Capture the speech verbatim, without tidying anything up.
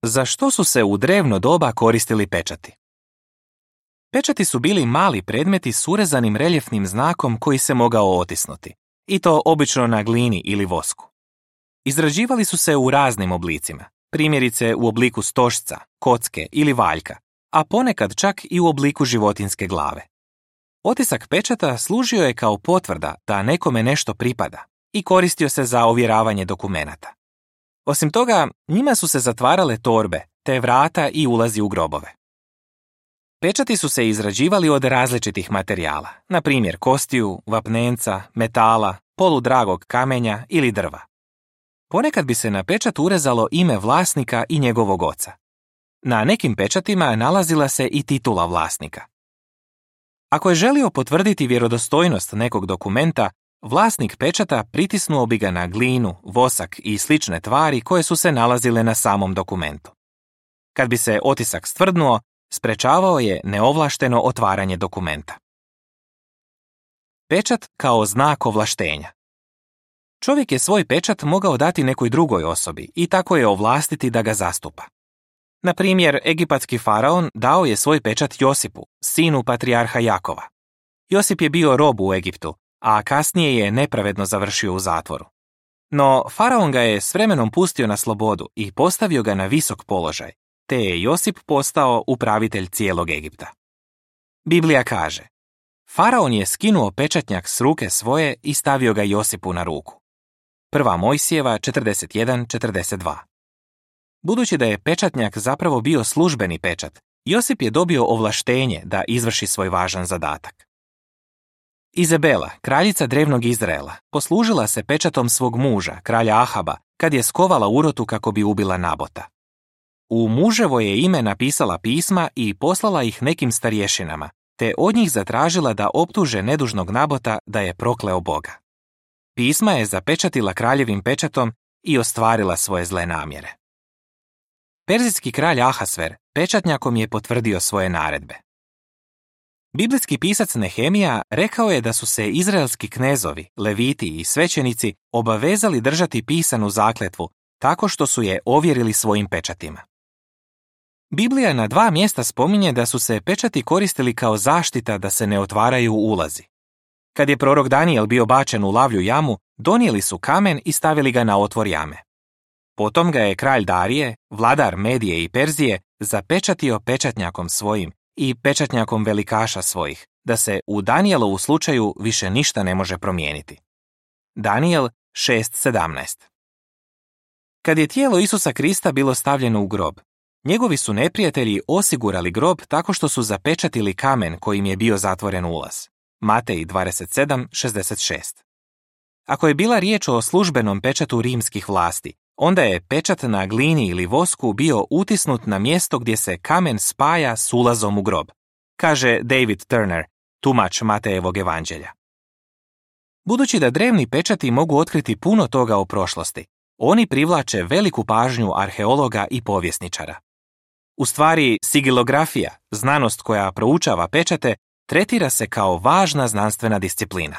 Za što su se u drevno doba koristili pečati? Pečati su bili mali predmeti s urezanim reljefnim znakom koji se mogao otisnuti, i to obično na glini ili vosku. Izrađivali su se u raznim oblicima, primjerice u obliku stožca, kocke ili valjka, a ponekad čak i u obliku životinjske glave. Otisak pečata služio je kao potvrda da nekome nešto pripada i koristio se za ovjeravanje dokumenata. Osim toga, njima su se zatvarale torbe, te vrata i ulazi u grobove. Pečati su se izrađivali od različitih materijala, na primjer kostiju, vapnenca, metala, poludragog kamenja ili drva. Ponekad bi se na pečat urezalo ime vlasnika i njegovog oca. Na nekim pečatima nalazila se i titula vlasnika. Ako je želio potvrditi vjerodostojnost nekog dokumenta, vlasnik pečata pritisnuo bi ga na glinu, vosak i slične tvari koje su se nalazile na samom dokumentu. Kad bi se otisak stvrdnuo, sprečavao je neovlašteno otvaranje dokumenta. Pečat kao znak ovlaštenja. Čovjek je svoj pečat mogao dati nekoj drugoj osobi i tako je ovlastiti da ga zastupa. Na primjer, egipatski faraon dao je svoj pečat Josipu, sinu patrijarha Jakova. Josip je bio rob u Egiptu, a kasnije je nepravedno završio u zatvoru. No, faraon ga je s vremenom pustio na slobodu i postavio ga na visok položaj, te je Josip postao upravitelj cijelog Egipta. Biblija kaže: Faraon je skinuo pečatnjak s ruke svoje i stavio ga Josipu na ruku. Prva Mojsijeva četrdeset jedan četrdeset dva. Budući da je pečatnjak zapravo bio službeni pečat, Josip je dobio ovlaštenje da izvrši svoj važan zadatak. Izabela, kraljica drevnog Izraela, poslužila se pečatom svog muža, kralja Ahaba, kad je skovala urotu kako bi ubila Nabota. U muževo je ime napisala pisma i poslala ih nekim starješinama, te od njih zatražila da optuže nedužnog Nabota da je prokleo Boga. Pisma je zapečatila kraljevim pečatom i ostvarila svoje zle namjere. Perzijski kralj Ahasver pečatnjakom je potvrdio svoje naredbe. Biblijski pisac Nehemija rekao je da su se izraelski knezovi, leviti i svećenici obavezali držati pisanu zakletvu tako što su je ovjerili svojim pečatima. Biblija na dva mjesta spominje da su se pečati koristili kao zaštita da se ne otvaraju ulazi. Kad je prorok Danijel bio bačen u lavlju jamu, donijeli su kamen i stavili ga na otvor jame. Potom ga je kralj Darije, vladar Medije i Perzije, zapečatio pečatnjakom svojim i pečatnjakom velikaša svojih, da se u Danijelovu slučaju više ništa ne može promijeniti. Danijel šest sedamnaest. Kad je tijelo Isusa Krista bilo stavljeno u grob, njegovi su neprijatelji osigurali grob tako što su zapečatili kamen kojim je bio zatvoren ulaz. Matej dvadeset sedam šezdeset šest. Ako je bila riječ o službenom pečatu rimskih vlasti, onda je pečat na glini ili vosku bio utisnut na mjesto gdje se kamen spaja s ulazom u grob, kaže David Turner, tumač Matejevog evanđelja. Budući da drevni pečati mogu otkriti puno toga o prošlosti, oni privlače veliku pažnju arheologa i povjesničara. U stvari, sigilografija, znanost koja proučava pečate, tretira se kao važna znanstvena disciplina.